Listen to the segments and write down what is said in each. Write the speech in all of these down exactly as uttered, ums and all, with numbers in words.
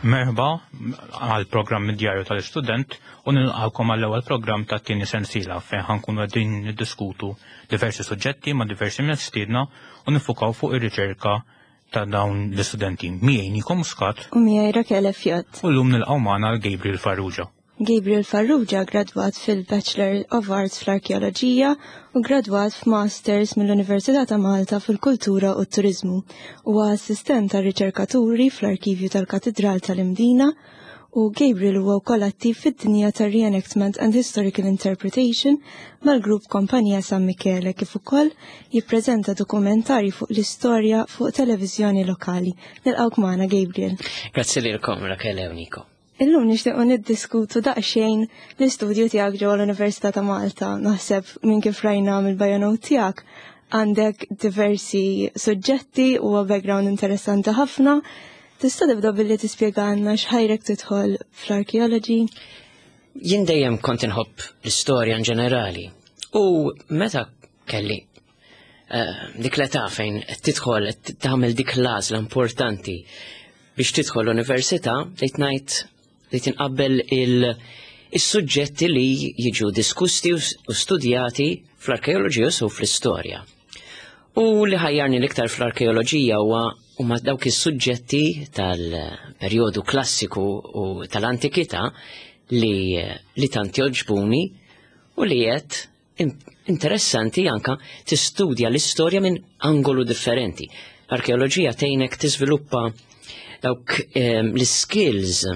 Merħba għal programm Djarju tal-Istudent u nilqakom għall ewwel programm ta' tieni sensiela fejn ħa nkunu qegħdin niddiskutu diversi suġġetti ma' diversi mistiedna u nifukaw fuq ir-riċerka ta' dawn l-istudenti. Miegħi Niko Muscat. U miegħi Rakele Fjott. U llum nilqgħu magħna l-Gabriel Farrugia. Gabriel Farrugia gradwat fil-Bachelor of Arts fl-Arkeoloġija u gradwat f'Masters mill-Università ta' Malta fil-Kultura u t-Turizmu. Huwa assistent ta' riċerkaturi fl-Arkivju tal-Katidral tal-Imdina u Gabriel huwa wkoll attiv fid-dinja tar Reenactment and Historical Interpretation mal-grupp Kompanija San Michele, kif ukoll jippreżenta dokumentari fuq l-istorja fuq televiżjoni lokali. Nilqgħuk magħna, Gabriel. Grazzi lilkom, Rakele u Niko. Illum nixtiequ niddiskutu daqsxejn l-istudju tiegħek ġewwa l-Università ta' Malta. Naħseb minn kif rajna mill-bio note tiegħek għandek diversi suġġetti u background interessanti ħafna. Tista' tibda billi tispjegana x'ħajrek tidħol fl-arkeology? Jien dejjem kont inħobb l-istorja in ġenerali. U meta kelli eh, dik l-età fejn tidħol tagħmel dik l-għażla importanti biex tidħol l-università, bdejt ngħid li tinqabbel il-suġġetti li jiġu diskusti u studjati fl-arkeoloġija u fl-istorja. U li ħajjarni l-iktar fl-arkeoloġija huwa huma dawk is-suġġetti tal-perjodu klassiku u tal-antikità li, li tant joġbuni u li qed interessanti anka tistudja l-istorja minn angolu differenti. L-arkeoloġija tgħinek tiżviluppa dawk eh, l-skills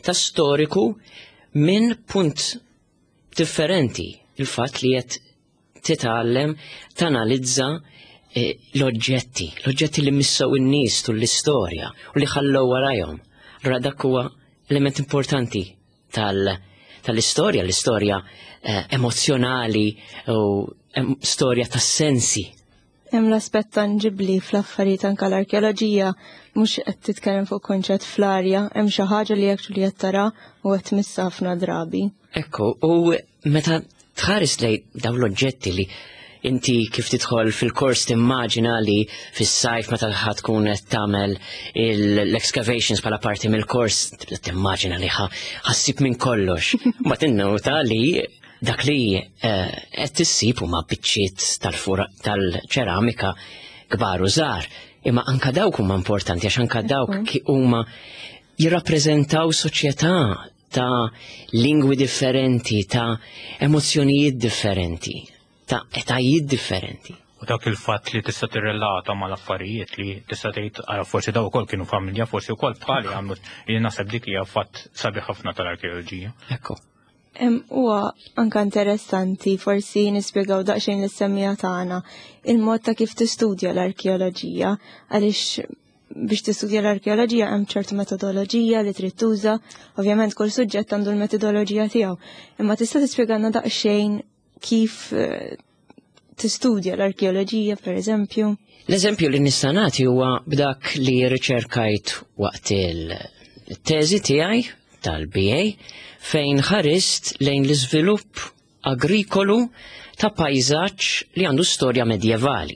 ta' storiku minn punt differenti. Il-fatt li qed titgħallem tanalizza eh, l-oġġetti, l-oġġetti li missew in-nies tul l-istorja u li ħallew warajhom. Allura dak huwa element importanti tal- tal-istorja, l-istorja eh, emozjonali u em, storja tas-sensi. Hemm l-aspett tangibli fl-affarijiet, anke l-arkeoloġija mhux qed titkellem fuq konċett fl-arja, hemm xi ħaġa li actually qed tara u qed tmissa ħafna drabi. Ekku, u meta tħares lej dawn l-oġġetti li inti kif tidħol fil-kors timmaġina li fis-sajf meta ħa tkun qed tagħmel l-excavations bħala parti mill-kors, tibda timmaġina li ħa ssib minn kollox. Ma tinnota li dak li eh, qed issib huma biċċiet tal-ċeramika kbar u żgħar. Imma anka dawk huma importanti għax anka dawk huma jirrappreżentaw soċjetà ta' lingwi differenti, ta' emozzjonijiet differenti, ta' etajiet differenti. U dak il-fatt li tista' tirrelata mal-affarijiet, li tista' tgħid ara, forsi daw ukoll kienu familja, forsi wkoll bħali għamlu, li naħseb dik hija fatt sabiħ ħafna tal-arkeoloġija. Ekku. Huwa anka interessanti forsi nispjegaw daqsxejn lis-semmiegħa tagħna il-mod ta' kif tistudja l-arkeoloġija, għaliex biex tistudja l-arkeoloġija hemm ċertu metodoloġija li trid tuża, ovvjament kull suġġett għandu l-metodoloġija tiegħu. Imma tista' tispjegana daqsxejn kif eh, tistudja l-arkeoloġija, per eżempju? L-eżempju li nista' nagħti huwa b'dak li riċerkajt waqt il-teżi tiegħi tal-B A fejn ħarist lejn l-iżvilupp agrikolu ta' pajzaġġ li għandu storja medjevali.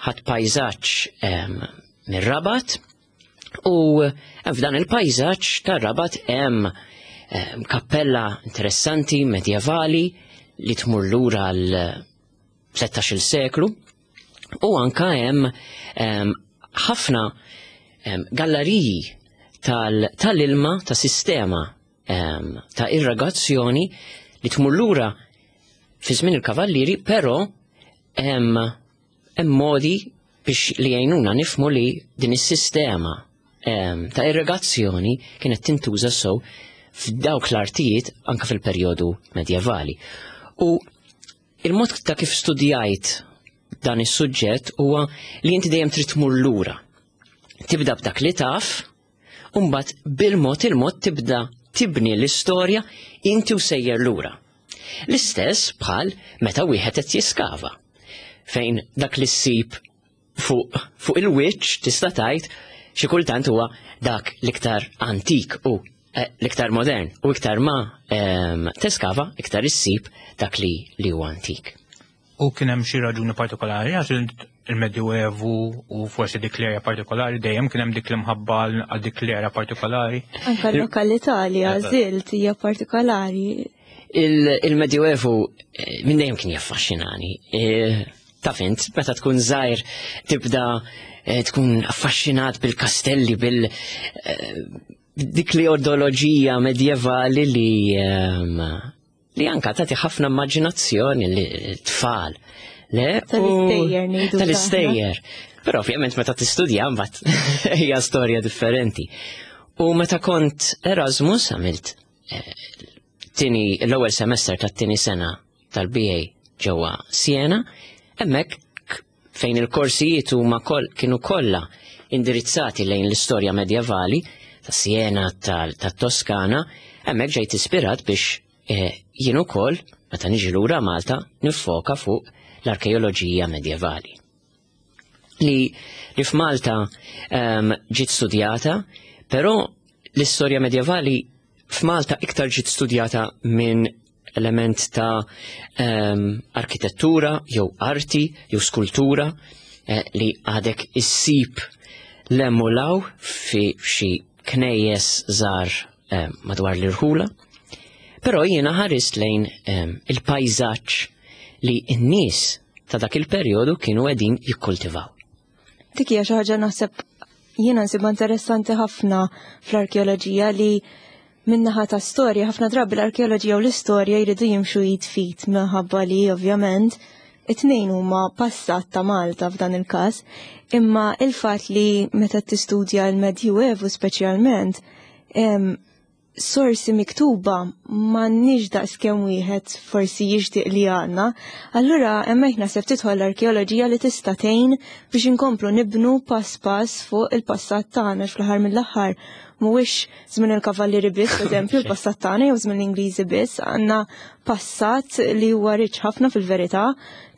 Ħadt pajzaġġ mir-Rabat u f'dan il-pajzaġġ tar-Rabat hemm kappella interessanti medjevali li tmur lura għal tlettax-il seklu u anka hemm ħafna galleriji tal-ilma ta' sistema ta' irrigazzjoni li tmur lura fi żmien il-kavallieri, però hemm modi biex li jgħinuna nifhmu li din is-sistema ta' irrigazzjoni kienet tintuża sew f'dawk l-artijiet anka fil-perjodu medjevali. U il-mod ta' kif studjajt dan is-suġġett huwa li inti dejjem trid tmur lura. Tibda b'dak li taf, u mbagħad bil-mod il-mod tibda tibni l-istorja inti u sejjer lura. L-istess bħal meta wieħed qed jiskava, fejn dak li ssib fuq fu il-wiċċ tista' tgħid xi kultant huwa dak l-iktar antik u eh, l-iktar modern, u iktar ma em, teskava iktar issib dak li li huwa antik. U kien hemm xi raġuni partikolari għax il-Medjuevu u forsi dik l-area partikolari, dejjem kien hemm dik l-imħabba għal dik l-area partikolari? Anka l-lokalità li għażilt hija partikolari. Il-Medjuevu eh, minn dejjem kien jaffaxxinani. Eh, taf int, meta tkun żgħir tibda eh, tkun affaxxinat bil-kastelli, bil dik li ideoloġija medjevali li ehm, li anka tagħti ħafna immaġinazzjoni li tfal. Le? Tal-istejjer ngħidu. Tal-istejjer. Però ovvjament meta tistudja mbagħad hija storja differenti. U meta kont Erasmus għamilt eh, tini l-ewwel semester tat-tieni sena tal-B A ġewwa Siena, hemmhekk fejn il-korsijiet huma kol, kienu kollha indirizzati lejn l-istorja medjevali ta' Siena, tat-Toskana, hemmhekk ġejt ispirat biex eh, jien ukoll meta niġi lura Malta nifoka fuq l-arkeoloġija medjevali. Li, li f'Malta um, ġiet studjata, però l-istorja medjevali f'Malta iktar ġiet studjata minn element ta' um, arkitettura, jew arti, jew skultura, eh, li għadek issib l-emulaw fi xi knejjes żgħar eh, madwar l-irħula. Però jiena ħarist lejn um, il-pajzaġġ li n-nies ta' dak il-perjodu kienu qegħdin jikkultivaw. Dik hija xi ħaġa naħseb jiena nsibha interessanti ħafna fl-arkeoloġija, li minnaħa ta' storja, ħafna drabi l-arkeoloġija u l-istorja jridu jimxu id f'id minħabba li ovvjament it-tnejn huma passat ta' Malta f'dan il-każ, imma il-fatt li meta tistudja l-Medjuevu speċjalment, em, sorsi miktuba m'għandniex daqs kemm wieħed forsi jixtieq li għandna, allura hemmhekk naħseb tidħol l-arkeoloġija li tista' tgħin biex inkomplu nibnu pass pass fuq il-passat tagħna. Fl-aħħar mill-aħħar mhuwiex żmien il-kavallieri biss, eżempju, il-passat tagħna, jew żmien l-Ingliżi biss, għandna passat li huwa rich ħafna fil-verità,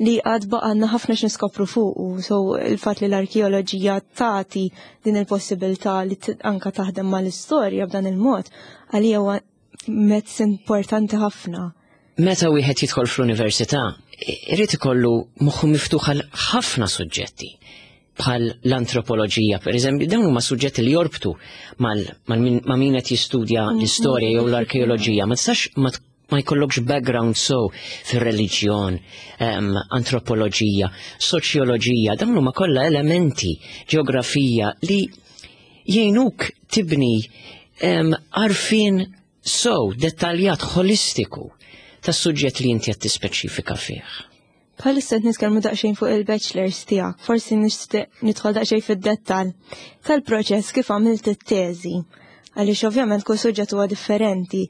li għad baqgħalna ħafna x'niskopru fuq. So il-fatt li l-arkeoloġija tagħti din il-possibilità li anka taħdem mal-istorja b'dan il-mod, għalija huwa mezz importanti ħafna. Meta wieħed jidħol fl-università, irid ikollu moħħu miftuħ għal ħafna suġġetti bħal l-antropoloġija, per eżempju, dawn huma suġġetti li jorbtu ma' min qed jistudja l-istorja jew l-arkeoloġija. Ma tistax ma jkollokx background so fir-reliġjon, um, antropoloġija, soċjoloġija, dawn huma kollha elementi, ġeografija, li jgħinuk tibni um, għarfien so dettaljat, holistiku tas-suġġett li inti qed tispeċifika fih. Bħalissa qed nitkellmu daqsxejn fuq il-bachelors tiegħek, forsi nixtieq nidħol daqsxejn fid-dettall tal-proċess kif għamilt it-teżi. Għaliex ovvjament kull suġġett huwa differenti.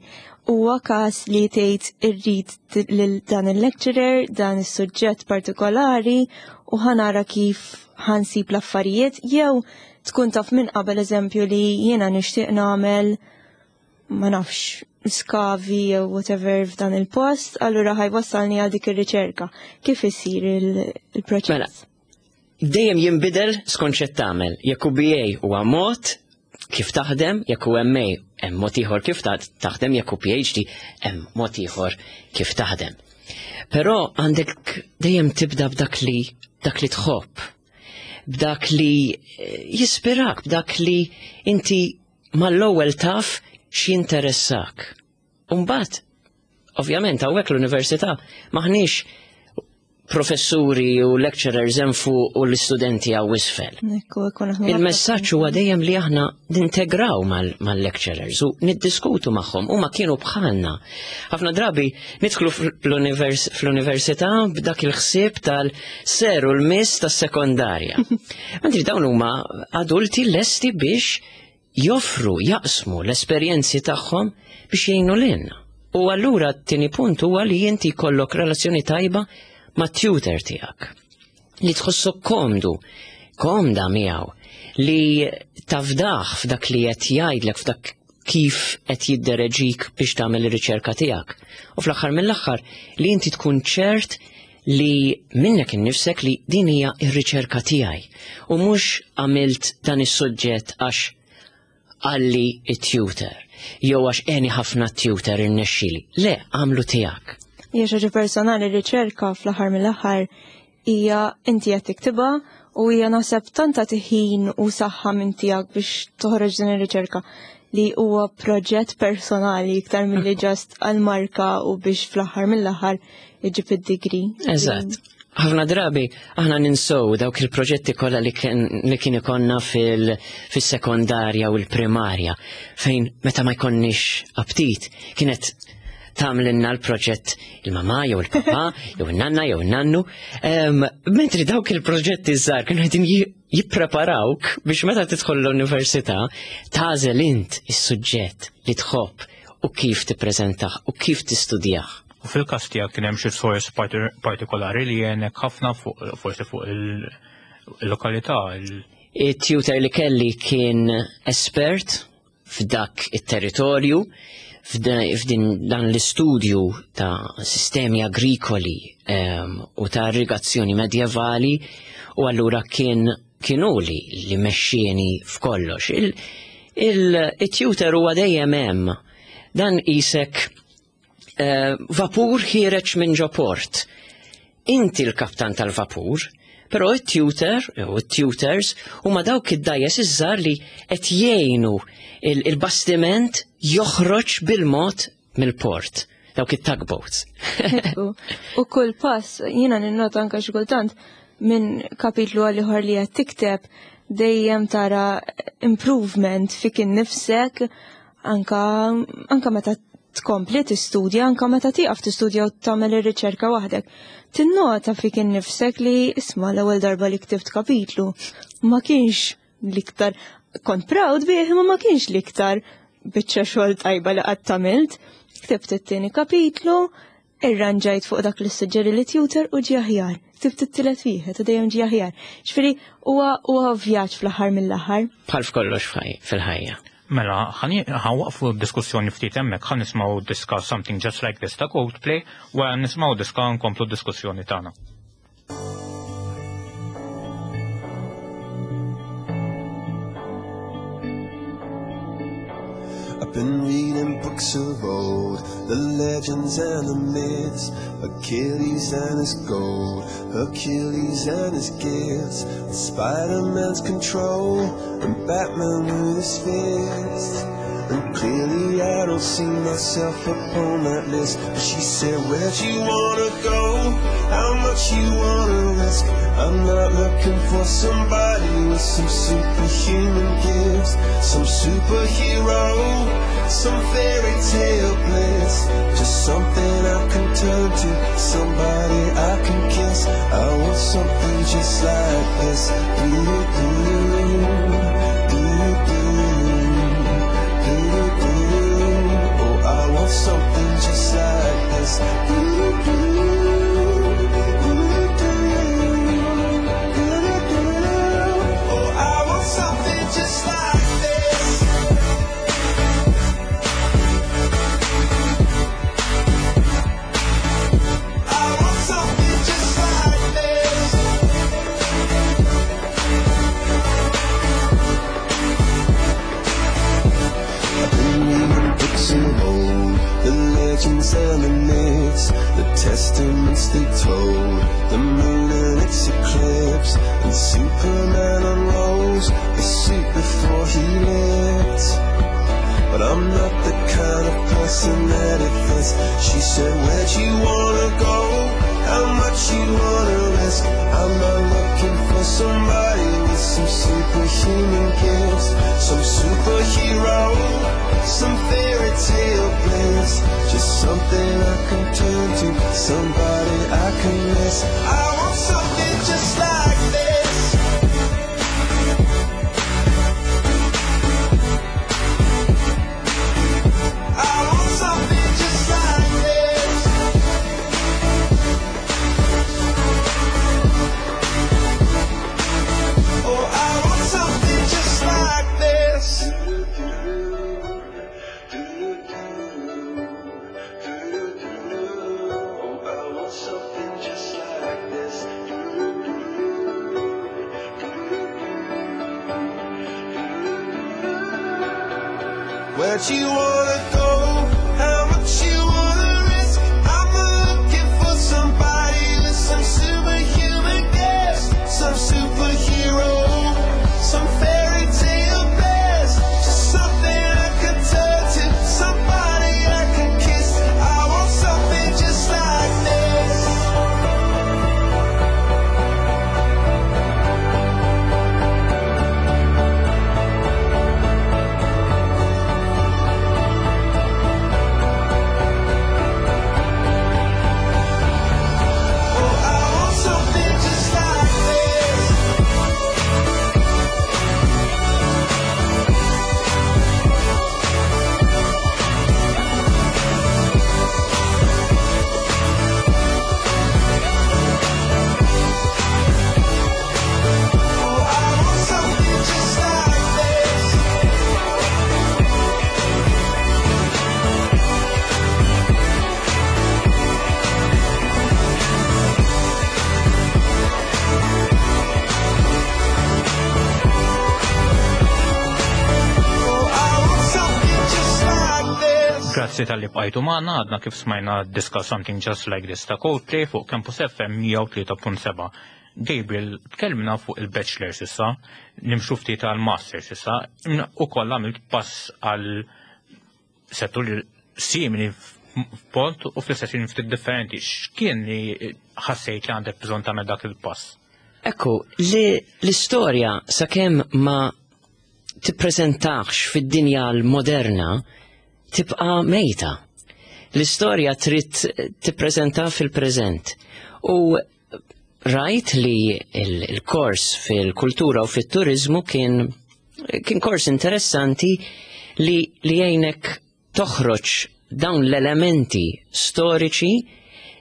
Huwa każ li tgħid irrid lil dan il-lecturer, dan is-suġġett partikolari u ħa nara kif ħa nsib l-affarijiet, jew tkun taf minn qabel, eżempju, li jiena nixtieq nagħmel, ma nafx, skavi jew whatever f'dan il-post, allura ħa jwassalni għal dik ir-riċerka. Kif isir il-proċess? Mela, dejjem jinbidel skont x'qed tagħmel. Jekk hu B A huwa mod kif taħdem, jekk hu M A hemm mod ieħor kif taħdem, jekk hu P H D hemm mod ieħor kif taħdem. Però għandek dejjem tibda b'dak li dak li tħobb, b'dak li eh, jispirak, b'dak li inti mal-ewwel taf x'jinteressak. Umbagħad, ovvjament, hawnhekk l-università maħniex professuri u lecturers hemm fuq u l-istudenti hawn isfel. Il-messaġġ huwa dejjem li aħna nintegraw mal-lecturers u niddiskutu magħhom, huma kienu bħalna. Ħafna drabi nidħlu fl-università b'dak il-ħsieb tal-sir u l-miss tas-sekondarja. Mentri dawn huma adulti lesti biex joffru, jaqsmu l-esperjenzi tagħhom biex jgħinu lilna. U allura t-tieni punt huwa li inti jkollok relazzjoni tajba ma' tutor tiegħek. Li tħossok komdu, komda miegħu, li tafdaħ f'dak li qed jgħidlek, f'dak kif qed jiddereġik biex tagħmel ir-riċerka tiegħek. U fl-aħħar mill-aħħar li inti tkun ċert li minnek innifsek li din hija r-riċerka tiegħi u mhux għamilt dan is-suġġett għax qalli it-tutor jew għax għeni ħafna tutor irnexxili. Le, għamlu tiegħek. Hija xi ħaġa personali, riċerka fl-aħħar mill-aħħar. hija inti qed tiktibha u hija naħseb tant tagħti ħin u saħħa minn tiegħek biex toħroġ din ir-riċerka li huwa proġett personali iktar milli just għal-marka u biex fl-aħħar mill-aħħar iġib id-degree. Eżatt. Ħafna drabi aħna ninsow dawk il-proġetti kollha li kien li kien ikollna fil-sekondarja u l-primarja fejn meta ma jkollniex aptit kienet tagħmlilna l-proġett il-mama jew il-papa jew il-nanna jew il-nannu. Em, Mentri dawk il-proġetti żgħar kienu qegħdin ji- jippreparawk biex meta tidħol l-università tagħżel int is-suġġett li tħobb u kif tippreżentah u kif tistudjah. U fil-każ tiegħek kien hemm xi sors parti- partikolari li għenek ħafna fuq forsi fuq il- il-lokalità. il- Il-tutor li kelli kien espert f'dak it-territorju, f'da- f'din dan l-istudju ta' sistemi agrikoli em, u ta' irrigazzjoni medjevali u allura kien kienu li li mexxieni f'kollox. Il- il- Il-tutor huwa dejjem hemm. Dan isek eh, vapur ħiereġ minn ġo port. Inti l-kaptan tal-vapur, però it-tutor u it-tutors huma dawk id-dgħajjes iż-żgħar li qed jgħinu il- il-bastiment joħroġ bil-mod mill-port, dawk it-tugboats. Ekku. U kull pass, jiena ninnota anka xi kultant minn kapitlu għal ieħor li qed tikteb dejjem tara improvement fik innifsek anka anka meta tkompli tistudja, anka meta tieqaf tistudja u tagħmel ir-riċerka waħdek. Tinnota fik innifsek li isma' l-ewwel darba li ktibt kapitlu ma kienx l-iktar kont proud bih imma ma kienx l-iktar biċċa xogħol tajba li qatt għamilt. Ktibt it-tieni kapitlu, irranġajt fuq dak li suġġeri li tutor u ġie aħjar. Ktibt it-tielet wieħed u dejjem ġie aħjar. Ġifieri huwa huwa vjaġġ fl-aħħar mill-aħħar. Bħal f'kollox f'ħaj- fil-ħajja. Mela, ħa nwaqqfu diskussjoni ftit hemmhekk, ħa nisimgħu diska Something Just Like This ta' Coldplay, wara nisimgħu diska nkomplu diskussjoni tagħna. I've been reading books of old, the legends and the myths, Achilles and his gold, Hercules and his gifts, and Spider-Man's control, and Batman with his fist. And clearly I don't see myself upon that list. But she said, where'd you wanna go? How much you wanna risk? I'm not looking for somebody with some superhuman gifts, some superhero, some fairy tale bliss. Just something I can turn to, somebody I can kiss. I want something just like this. Do do do do do do. Oh, I want something just like this. Do do do do do do. Oh, I want something just like this. I want something just like this. I've been reading books of old, the legends and the myths, the testaments they told, the moon and its eclipse, and Superman unrolls the suit before he lived. But I'm not the kind of person that it fits. She said, where'd you wanna go? How much you wanna risk? I'm not looking for somebody with some superhuman gifts, some superhero, some fairy tale bliss. Just something I can turn to, somebody I can miss. I want something just like this. I want something just like this. Oh, I want something just like this. Oh, I want something just like this. Where'd you wanna go? How much you wanna risk? I'm looking for somebody with some superhuman Grazzi talli bqajtu magħna, għadna kif smajna diska Something Just Like This ta' Coldplay fuq Campus F M mija u tlieta punt seba'. Gabriel, tkellimna fuq il-Bachelors issa, nimxu ftit għal Masters issa, u koll għamilt pass għal settur simili f'pont u fl-istess ftit differenti. X'kien li ħassejt li għandek bżonn tagħmel dak il-pass? Ekku, li l-istorja sakemm ma tippreżentax fid-dinja l-moderna tibqa' mejta. L-istorja trid tippreżenta fil-preżent. U rajt li il-kors fil-kultura u fit-turizmu kien kien kors interessanti li li jgħinek toħroġ dawn l-elementi storiċi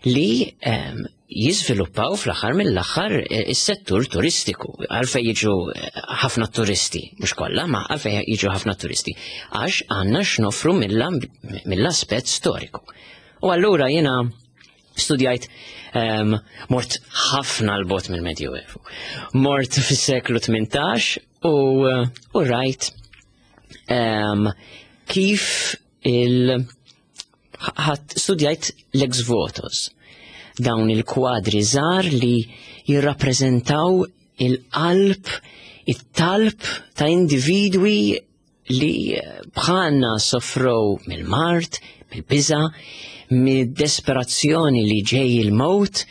li um, jiżviluppaw fl-aħħar mill-aħħar eh, is-settur turistiku. Għalfej jiġu eh, ħafna turisti, mhux kollha, ma għalfej jiġu ħafna turisti? Għax għandna x'nofru mill-aspett storiku. U allura jiena studjajt, um, mort ħafna 'l bogħod mill-Medjuevu. Mort fis-seklu tmintax u, u rajt um, kif il- ħadd studjajt l-ex votos, dawn il-kwadri żgħar li jirrappreżentaw il-qalb, it-talb ta' individwi li bħalna soffrow mill-mard, mill-biża, mid-desperazzjoni li ġej il-mewt,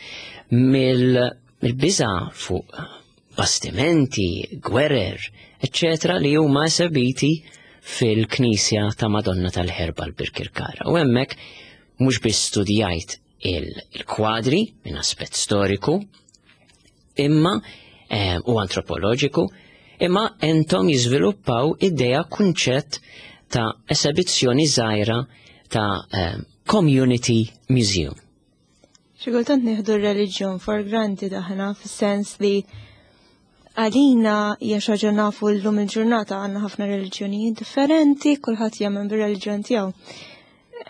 mill-biża fuq bastimenti, gwerer, eccetera, li huma esebiti fil-Knisja ta' Madonna tal-Ħerba l-Birkirkara. U hemmhekk mhux biss studjajt il-kwadri minn aspett storiku, imma eh, u antropoloġiku, imma għenthom jiżviluppaw idea, kunċett ta' esebizzjoni żgħira ta' eh, community museum. Xi kultant nieħdu r-reliġjon for granted aħna, fis-sens li għalina hija xi ħaġa nafu llum il-ġurnata għandna ħafna reliġjonijiet differenti, kulħadd jemmen bir-reliġjon tiegħu.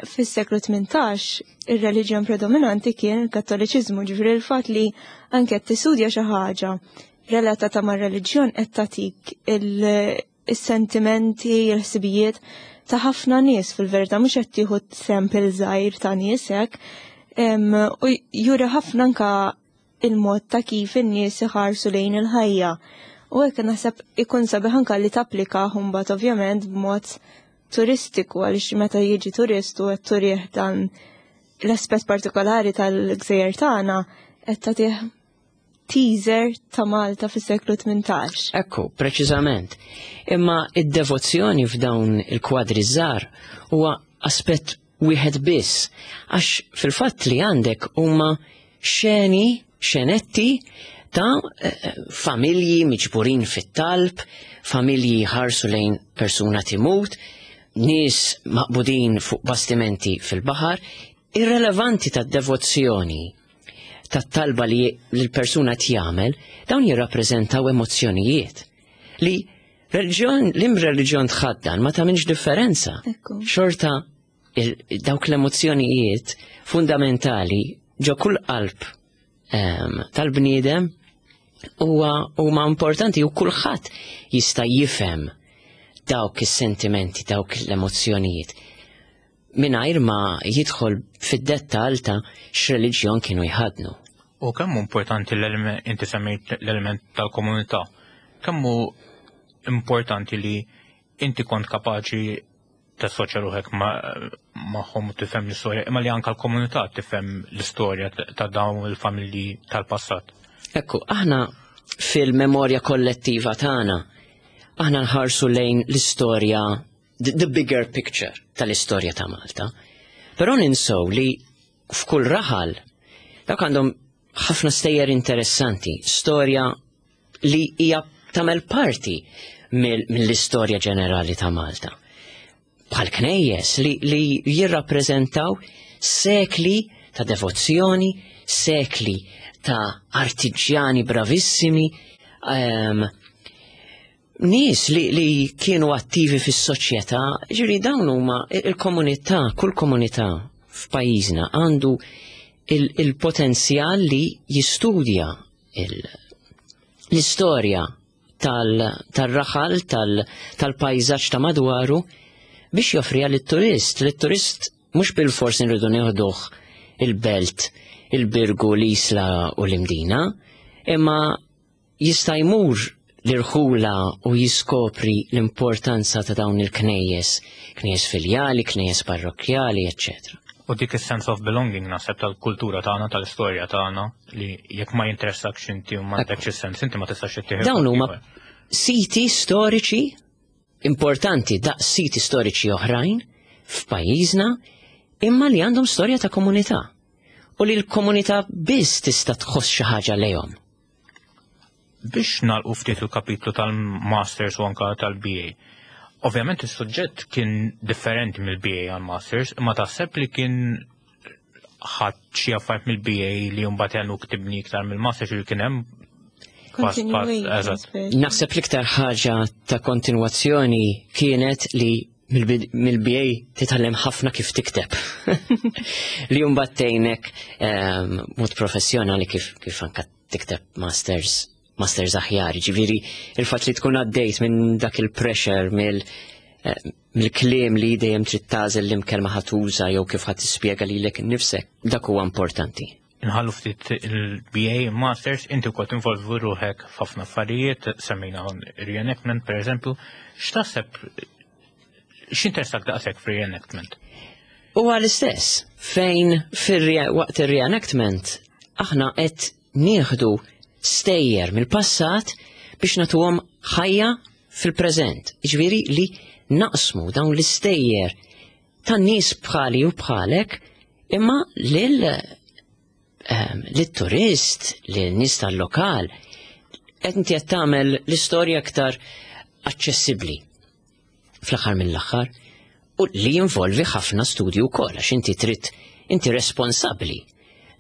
Fis-seklu tmintax ir-reliġjon predominanti kien il-Kattoliċiżmu, ġifieri il-fatt li anke qed tistudja xi ħaġa relatata mar-reliġjon qed tagħtik il-sentimenti, il-ħsibijiet ta' ħafna nies fil-verità, mhux qed tieħu sample żgħir ta' nies hekk. U juri ħafna anka il-mod ta' kif in-nies iħarsu lejn il-ħajja. U hekk naħseb ikun sabiħ anka li tapplika mbagħad ovvjament b'mod turistiku, għaliex meta jiġi turist u qed turih dan l-aspett partikolari tal-gżejjer tagħna, qed tagħtih teaser ta' Malta fis-seklu tmintax. Ekku, preċiżament. Imma id-devozzjoni f'dawn il-kwadri żgħar huwa aspett wieħed biss, għax fil-fatt li għandek huma xeni, xenetti ta' eh, familji miġburin fit-talb, familji ħarsu lejn persuna timut, nies maqbudin fuq bastimenti fil-baħar, irrelevanti ta' devozzjoni ta' talba li l-persuna tjamel, dawn jirrappreżentaw emozzjonijiet li reliġjon, l-im reliġjon tħaddan ma tagħmilx differenza. Ekku. Xorta il- dawk l-emozzjonijiet fundamentali ġo kull qalb em, tal-bniedem huwa huma importanti u kulħadd jista' jifhem dawk is-sentimenti, dawk l-emozzjonijiet mingħajr ma jidħol fid-dettall ta' x'reliġjon kienu jħadnu. U kemm hu importanti l-element, inti semmejt l-element tal-komunità, kemm hu importanti li inti kont kapaċi tassoċja ruħek magħhom u tifhem l-istorja, imma li anka l-komunità tifhem l-istorja ta' dawn il-familji tal-passat? Ekku, aħna fil-memorja kollettiva tagħna, aħna nħarsu lejn l-istorja, the, the bigger picture tal-istorja ta' Malta. Però ninsow li f'kull raħal dawk għandhom ħafna stejjer interessanti, storja li hija tagħmel parti mill-istorja ġenerali ta' Malta. Bħal knejjes li, li jirrappreżentaw sekli ta' devozzjoni, sekli ta' artiġjani bravissimi, um, nies li, li kienu attivi fis-soċjetà, ġiri dawn huma il-komunità, kull komunità f'pajjiżna għandu il-potenzjal li jistudja l-istorja tal-raħal, tal-pajzaġġ ta' madwaru. biex joffriha lit-turist. Lit-turist mhux bil-fors nridu nieħduh il-Belt, il-Birgu, l-Isla u l-Imdina, imma jista' jmur l-irħula u jiskopri l-importanza ta' dawn il-knejjes, knejjes filjali, knejjes parrokkjali, eccetera. U dik is-sense of belonging naħseb tal-kultura tagħna, tal-istorja tagħna, li jekk ma jinteressakx inti u m'għandekx is-sens, inti ma tistax ittieħed. Dawn huma siti storiċi importanti daqs siti storiċi oħrajn f'pajjiżna, imma li għandhom storja ta' komunità u li l-komunità biss tista' tħoss xi ħaġa lejhom. Biex nagħlqu ftit il-kapitlu tal-Masters u anka tal-B A. Ovvjament is-suġġett kien differenti mill-B A għal-Masters, imma taħseb li kien ħadd xi affarijiet mill-B A li mbagħad għenuk tibni iktar mill-Masters, li kien hemm pass pass, eżatt. Naħseb l-iktar ħaġa ta' kontinwazzjoni kienet li mill-B A titgħallem ħafna kif tikteb, li mbagħad tgħinek ehm, mod professjonali kif kif anka tikteb masters masters aħjar. Ġifieri il-fatt li tkun għaddejt minn dak il-pressure mill eh, mill-kliem li dejjem trid tagħżel li kelma ħa tuża jew kif ħa tispjega lilek innifsek, dak huwa importanti. Nħallu ftit il-B A Masters, inti wkoll tinvolvi ruħek f'ħafna affarijiet, semmejna reenactment per eżempju, x'taħseb, x'interessak daqshekk f'reenactment? Huwa l-istess, fejn waqt ir-reenactment aħna qed nieħdu stejjer mill-passat biex nagħtuhom ħajja fil-preżent. Ġifieri li naqsmu dawn l-istejjer tan-nies bħali u bħalek imma lil ehm, lit-turist, lil-nies tal-lokal, qed inti qed tagħmel l-istorja aktar aċċessibbli fl-aħħar mill-aħħar, u li jinvolvi ħafna studju wkoll għax inti trid inti responsabbli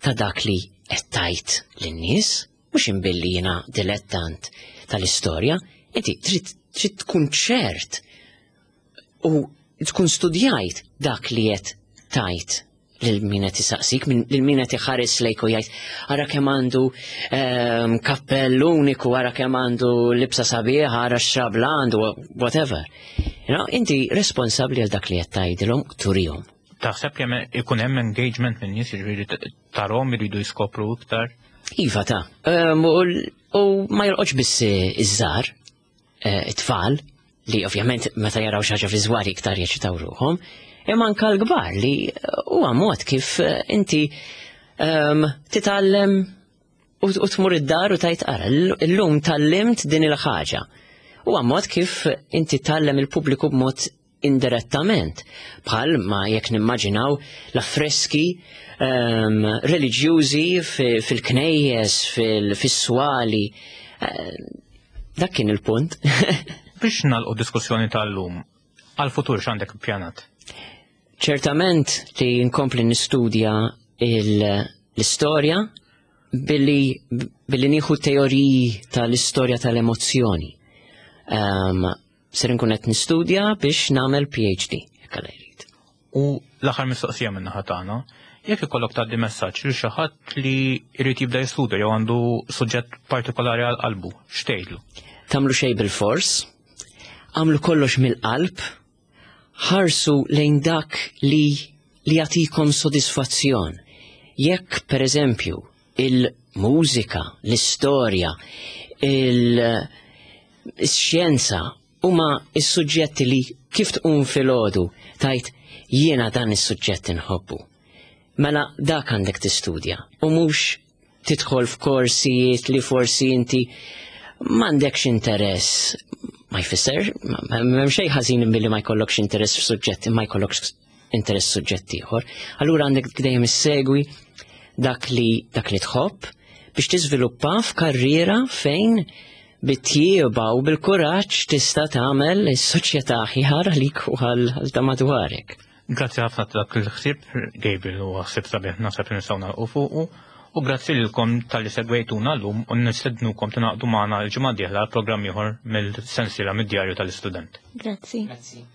ta' dak li qed tgħid lin-nies, mhux imbilli jiena dilettant tal-istorja, inti trid trid tkun ċert u tkun studjajt dak li qed tgħid lil min qed isaqsik, lil min qed iħares lejk u jgħid, "Ara kemm għandu ehm, kappell uniku, ara kemm għandu libsa sabiħa, ara x'xabla għandu," whatever. You know, inti responsabbli għal dak li qed tgħidilhom, turihom. Taħseb kemm ikun hemm engagement minn nies, jiġifieri tarahom iridu jiskopru iktar? Iva ta' um, u ma jolqotx biss iż-żgħar, eh, it-tfal, li ovvjament meta jaraw xi ħaġa viżwali iktar jeċitaw ruħhom, imma anka l-kbar, li huwa mod kif eh, inti um, titgħallem u tmur id-dar u tgħid, "Ara, illum tgħallimt din il-ħaġa." Huwa mod kif inti tgħallem il-pubbliku b'mod indirettament. Bħal ma jekk nimmaġinaw l-affreski um, reliġjużi fil-knejjes, fil-swali. Uh, dak kien il-punt. Biex nagħlqu diskussjoni tal-lum, għal-futur x'għandek pjanat? Ċertament li nkompli nistudja l-istorja billi, billi nieħu teoriji tal-istorja tal-emozzjoni. Um, ser nkun qed nistudja biex nagħmel P H D, jekk Alla jrid. U l-aħħar mistoqsija minn naħa tagħna, jekk ikollok tgħaddi messaġġ lil xi ħadd li jrid jibda jistudja jew għandu suġġett partikolari għal qalbu, x'tgħidlu? Tagħmlu xejn bil-fors, agħmlu kollox mill-qalb, ħarsu lejn dak li li jagħtikom sodisfazzjon. Jekk per eżempju il-mużika, l-istorja, il-xjenza huma is-suġġetti li kif tqum filgħodu tgħid, "Jiena dan is-suġġett inħobbu." Mela dak għandek tistudja u mhux tidħol f'korsijiet li forsi inti m'għandekx interess. Ma jfisser, m'hemm xejn ħażin billi ma jkollokx interess f'suġġett, ma jkollokx interess suġġett ieħor. Allura għandek dejjem issegwi dak li dak li tħobb biex tiżviluppa f'karriera fejn bit-tjieba u bil-kuraġġ tista' tagħmel is-soċjetà aħjar għalik u għal ta' madwarek. Grazzi ħafna ta' dak il-ħsieb, Gabriel, u ħsieb sabiħ naħseb li nistgħu nagħlqu fuqu. U grazzi lilkom talli segwejtuna llum u nistednukom tingħaqdu magħna l-ġimgħa d-dieħla għal programm ieħor mill-sensiela mid-djarju tal-istudent. Grazzi. Grazzi.